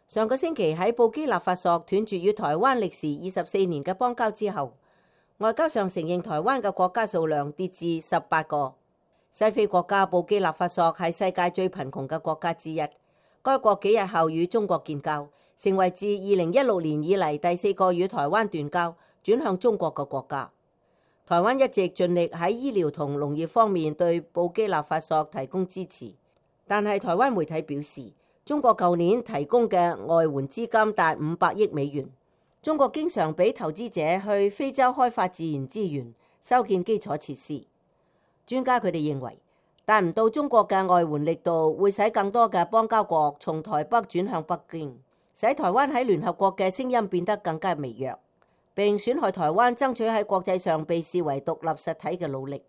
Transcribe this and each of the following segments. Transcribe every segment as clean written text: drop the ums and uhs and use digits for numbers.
上個星期喺布基納法索斷絕與台灣歷時24年嘅邦交之後，外交上承認台灣嘅國家數量跌至18個。西非國家布基納法索係世界最貧窮嘅國家之一。該國幾日後與中國建交，成為自2016年以嚟第4個與台灣斷交、轉向中國嘅國家。台灣一直盡力喺醫療同農業方面對布基納法索提供支持，但係台灣媒體表示，中國舊年提供嘅外援資金達500億美元。中國經常俾投資者去非洲開發自然資源、修建基礎設施。專家佢哋認為，達唔到中國嘅外援力度，會使更多嘅邦交國從台北轉向北京，使台灣喺聯合國嘅聲音變得更加微弱，並損害台灣爭取喺國際上被視為獨立實體嘅努力。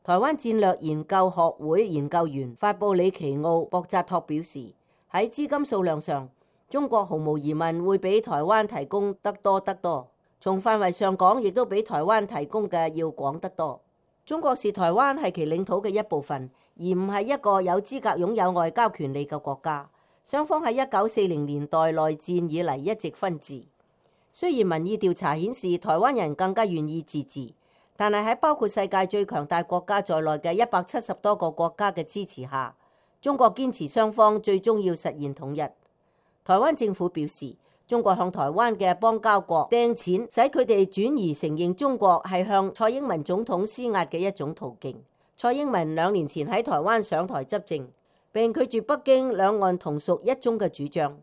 台灣戰略研究學會研究員法布里奇奧·博扎托表示，喺資金數量上，中國毫無疑問會比台灣提供得多得多，從範圍上講，亦都比台灣提供嘅要廣得多。中國視台灣係其領土嘅一部分，而唔係一個有資格擁有外交權利嘅國家。雙方喺1940年代內戰以嚟一直分治。雖然民意調查顯示台灣人更加願意自治，但係喺包括世界最強大國家在內嘅170多個國家嘅支持下，中國堅持雙方最終要實現統一。台灣政府表示，中國向台灣嘅邦交國掟錢，使佢哋轉移承認中國係向蔡英文總統施壓嘅一種途徑。蔡英文2年前喺台灣上台執政，並拒絕北京兩岸同屬一中嘅主張。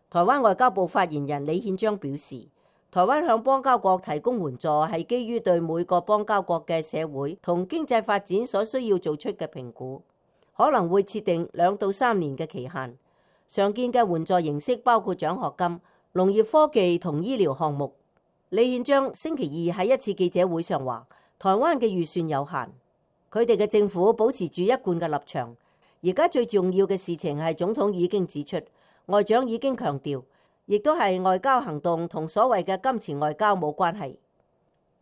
台灣外交部發言人李憲章表示，台灣向邦交國提供援助係基於對每個邦交國嘅社會同經濟發展所需要做出嘅評估，可能會設定2到3年嘅期限。常見嘅援助形式包括獎學金、農業科技同醫療項目。李憲章星期2喺一次記者會上話，台灣嘅預算有限，佢哋嘅政府保持住一貫嘅立場。而家最重要嘅事情係總統已經指出，外長已經強調，亦都係外交行動同所謂嘅金錢外交冇關係。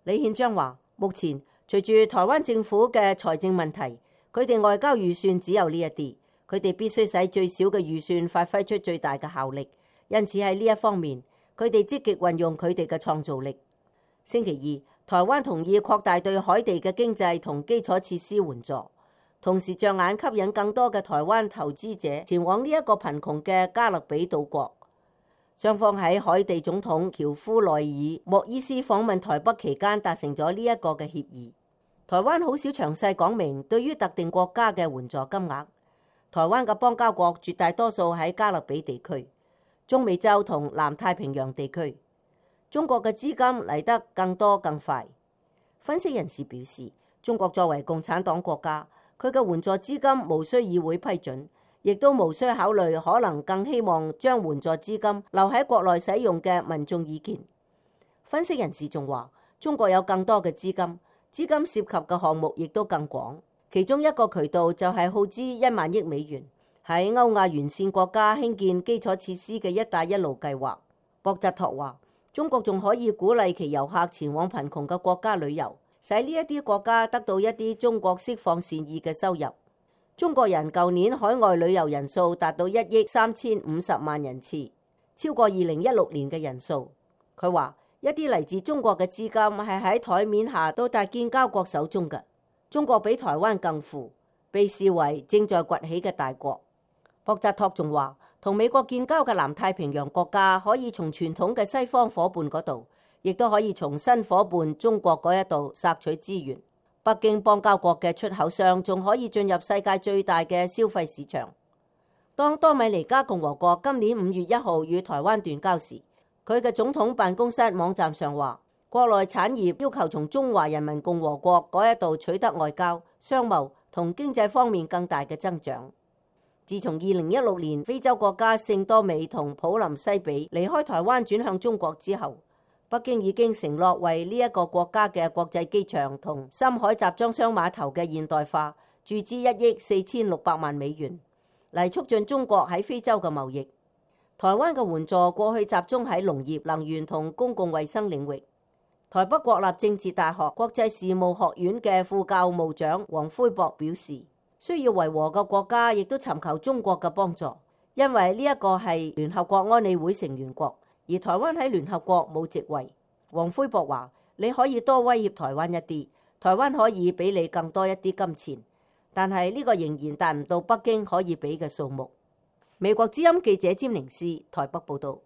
李憲章話，目前隨住台灣政府嘅財政問題，佢哋外交預算只有呢一啲，佢哋必須使最少嘅預算發揮出最大嘅效力。因此喺呢一方面，佢哋積極運用佢哋嘅創造力。星期2，台灣同意擴大對海地嘅經濟同基礎設施援助，同時着眼吸引更多嘅台灣投資者前往呢一個貧窮嘅加勒比島國。雙方喺海地總統喬夫內爾莫伊斯訪問台北期間達成咗呢一個嘅協議。台灣好少詳細講明對於特定國家嘅援助金額。台灣嘅邦交國絕大多數喺加勒比地區、中美洲同南太平洋地區。中國嘅資金嚟得更多更快。分析人士表示，中國作為共產黨國家，佢嘅援助資金無需議會批准，亦都無需考慮可能更希望將援助資金留喺國內使用嘅民眾意見。分析人士仲話，中國有更多嘅資金涉及嘅項目亦都更廣，其中一個渠道就係耗資1萬億美元喺歐亞沿線國家興建基礎設施嘅一帶一路計劃。博扎托話，中國仲可以鼓勵其遊客前往貧窮嘅國家旅遊，使呢一啲國家得到一啲中國釋放善意嘅收入。中國人舊年海外旅遊人數達到1億3050萬人次，超過2016年嘅人數。佢話，一啲嚟自中國嘅資金係喺台面下到達建交國手中嘅。中國比台灣更富，被視為正在崛起嘅大國。博扎托仲話，同美國建交嘅南太平洋國家可以從傳統嘅西方伙伴嗰度，亦都可以從新伙伴中國嗰一度索取資源。北京邦交國嘅出口商仲可以進入世界最大嘅消費市場。當多米尼加共和國今年5月1號與台灣斷交時，佢嘅總統辦公室網站上話，國內產業要求從中華人民共和國嗰一度取得外交、商貿同經濟方面更大嘅增長。自從2016年非洲國家聖多美同普林西比離開台灣轉向中國之後，北京已經承諾為呢一個國家嘅國際機場同深海集裝箱碼頭嘅現代化注資1億4600萬美元，嚟促進中國喺非洲嘅貿易。台灣嘅援助過去集中喺農業、能源同公共衛生領域。台北國立政治大學國際事務學院嘅副教務長黃輝博表示，需要維和嘅國家亦都尋求中國嘅幫助，因為呢一個係聯合國安理會成員國，而台灣喺聯合國冇席位。黃輝博話：你可以多威脅台灣一啲，台灣可以俾你更多一啲金錢，但係呢個仍然達唔到北京可以俾嘅數目。美國之音記者詹寧斯台北報道。